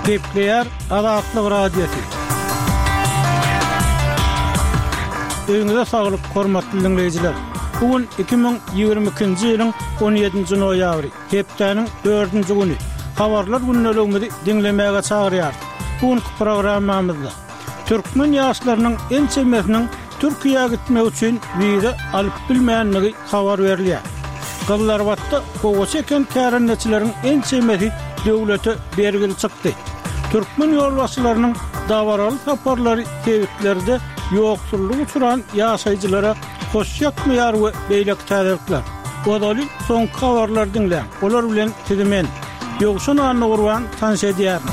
Gepleýär Azatlyk Radiosy. Öýüňize saglyk, hormatly diňleýjiler! Bu gün 2022-nji ýylyň 17-nji noýabry, hepdäniň dördünji güni. Habarlar gündeligimizi diňlemäge çagyrýarys. Bu günki programmamyzda türkmen ýaşlarynyň ençemesiniň Türkiýä gitmek üçin wiza alyp bilmändigi habar berilýär. Gyzylarbatda gowaça eken kärendeçileriň ençemesi döwlete bergili çykdy. Türkmen ýolbaşçylarynyň dabaraly saparlary sebitlerde ýoksullyga uçran ýaşaýjylara hoş ýakmaýar we beýleki täzelikler. Ozaly soňky habarlary diňläň, olar bilen sizi men, Ýowşan Annagurban tanyş edýärin.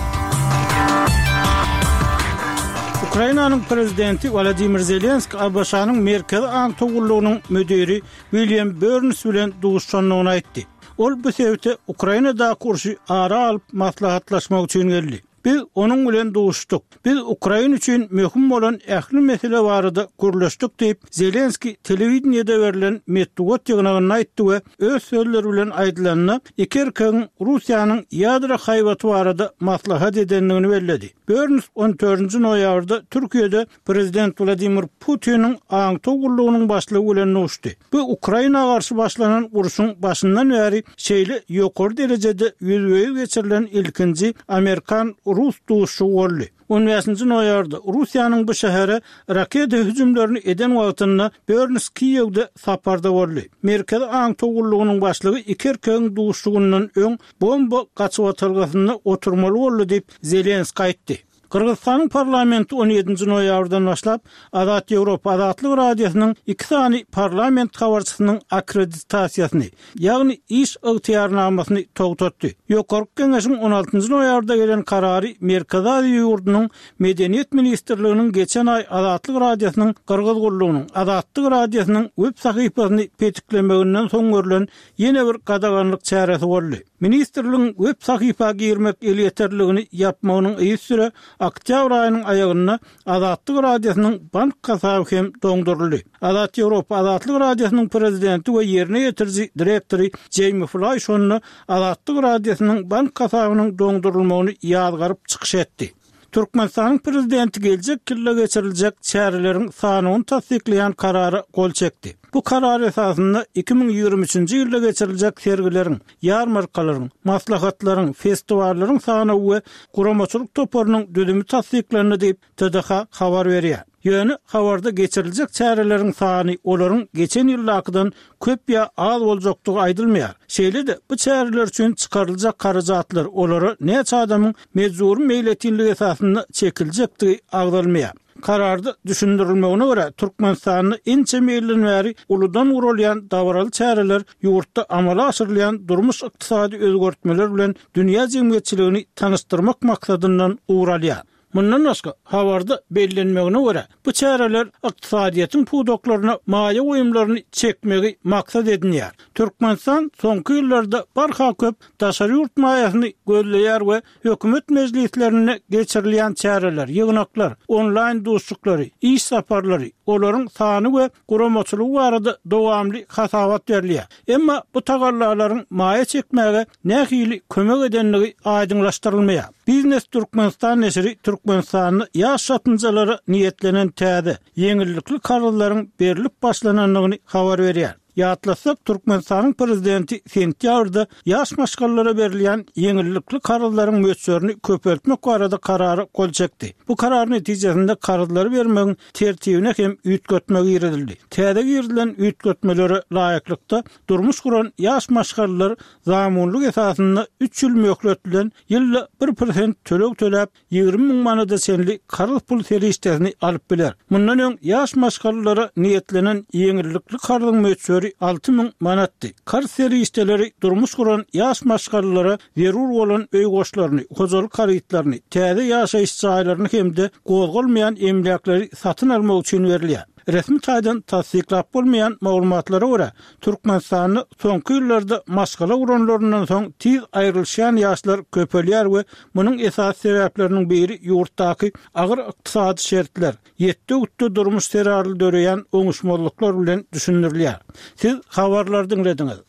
Ukrainanyň prezidenti Wolodymyr Zelenskiý ABŞ-nyň Merkezi aňtaw gullugynyň müdiri William Burns bilen duşuşandygyny aýtdy. Ol bu sebite Ukrainadaky urşy ara alyp maslahatlaşmak üçin geldi. Biz onuň bilen duşuşdyk. Biz Ukraina üçin möhüm bolan ähli mesele barada gürleşdik diýip, Zelenskiý telewideniýede berlen metbugat ýygnagynda aýtdy we öz sözleri bilen aýdylanda, iki erkegiň Russiýanyň ýadro haýbaty barada maslahat edendigini belledi. Burns on dördünji noýabrda Türkiýede prezident Wladimir Putiniň aňtaw gullugynyň başlygy bilen duşdy. Bu Ukraina garşy başlanan urşuň başyndan bäri şeýle ýokary derejede ýüzbe-ýüz geçirilen ilkinji amerikan-rus duşuşygy boldy. On bäşinji noýabrda Russiýanyň bu şähere raketa hüjümlerini eden wagtynda Burns Kiýewde saparda boldy. Merkezi aňtaw gullugynyň başlygy iki erkegiň duşuşygyndan öň bomba gaçybatalgasynda oturmaly boldy diýip, Zelenskiý aýtdy. Gyrgyzystanyň parlamenti on ýedinji noýabrdan başlap, Azat Ýewropa Azatlyk Radiosynyň iki sany parlament habarçysynyň akkreditasiýasyny, ýagny iş ygtyýarnamasyny togtatdy. Ýokarky Geňeşiň on altynjy noýabrda gelen karary Merkezi Aziýa ýurdunyň Medeniýet ministrliginiň geçen aý Azatlyk Radiosynyň Gyrgyz gullugynyň Azatlyk Radiosynyň web sahypasyny petiklemeginden soň görlen ýene bir gadaganlyk çäresi boldy. Ministrligiň web sahypa girmek elýeterligini ýapmagynyň yzysüre oktýabr aýynyň aýagynda Azatlyk Radiosynyň bank hasaby hem doňduryldy. Azat Ýewropa Azatlyk Radiosynyň prezidenti we ýerine ýetiriji direktory Jeými Flaý şonda Azatlyk Radiosynyň bank hasabynyň doňdurylmagyny ýazgaryp çykyş etdi. Türkmenistanyň Prezidenti geljek ýylda geçiriljek çäreleriň sanawyny tassyklaýan Karara gol çekdi. Bu karar esasynda 2023-nji ýylda geçiriljek sergileriň, ýarmarkalaryň, maslahatlaryň, festiwallaryň sanawy we guramaçylyk toparynyň düzümi tassyklandy diýip, TDH habar berýär. Ýöne habarda geçiriljek çäreleriň sany olaryň geçen ýyldakydan köp ýa az boljakdygy aýdylmaýar. Şeýle-de, bu çäreler üçin çykaryljak harajatlar, olara näçe adamyň mejbury meýletinlik esasynda çekiljekdigi agzalmaýar. Kararda düşündirilmegine görä, Türkmenistanda ençeme ýyldan bäri uludan guralýan dabaraly çäreler ýurtda amala aşyrylýan durmuş-ykdysady özgertmeler bilen dünýä jemgyýetçiligini tanyşdyrmak maksadyndan ugur alýar. Mundan başga, habarda bellenmegine görä, bu çäreler ykdysadyýetiň pudaklaryna maýa goýumlaryny çekmegi maksat edinýär. Türkmenistan soňky ýyllarda barha köp daşary ýurt maýasyny gözleýär we hökümet mejlislerinde geçirilýän çäreler, ýygnaklar, onlaýn duşuşyklary, iş saparlary, olaryň sany we guramaçylygy barada dowamly hasabat berilýär. Emma bu tagallalaryň maýa çekmäge nähili kömek edendigi aýdyňlaşdyrylmaýar. Biznes Türkmenistan neşiri Türkmenistanda ýaş çatynjalara niýetlenen täze, ýeňillikli karzlaryň berlip başlanandygyny habar berýär. Ýatlatsak, Türkmenistanyň prezidenti sentýabrda ýaş maşgalalara berilýän ýeňillikli karzlaryň möçberini köpeltmek barada karara gol çekdi. Bu karar netijesinde karzlary bermegiň tertibine hem üýtgetme girizildi. Täze girizilen üýtgetmelere laýyklykda, durmuş guran ýaş maşgalalar zamunlyk esasynda üç ýyl möhlet bilen ýylda bir prosent töleg töläp, 20 müň manada çenli karz pul serişdesini alyp biler. Mundan öň ýaş maşgalalara niýetlenen ýeňillikli karzyň möçberi 6000 manatdy. Karz serişdeleri durmuş guran ýaş maşgalalara zerur bolan öý goşlaryny, hojalyk harytlaryny, täze ýaşaýyş jaýlaryny hem-de gozgalmaýan emläkleri satyn almak üçin berilýär. Resmi taýdan tassyklap bolmaýan maglumatlara görä, Türkmenistanda soňky ýyllarda maşgala guranlaryndan soň tiz aýrylyşýan ýaşlar köpelýär we munuň esasy sebäpleriniň biri ýurtdaky agyr ykdysady şertler, ýetde-gütde durmuş zerarly döreýän oňuşmazlyklar bilen düşündirilýär. Siz habarlary diňlediňiz.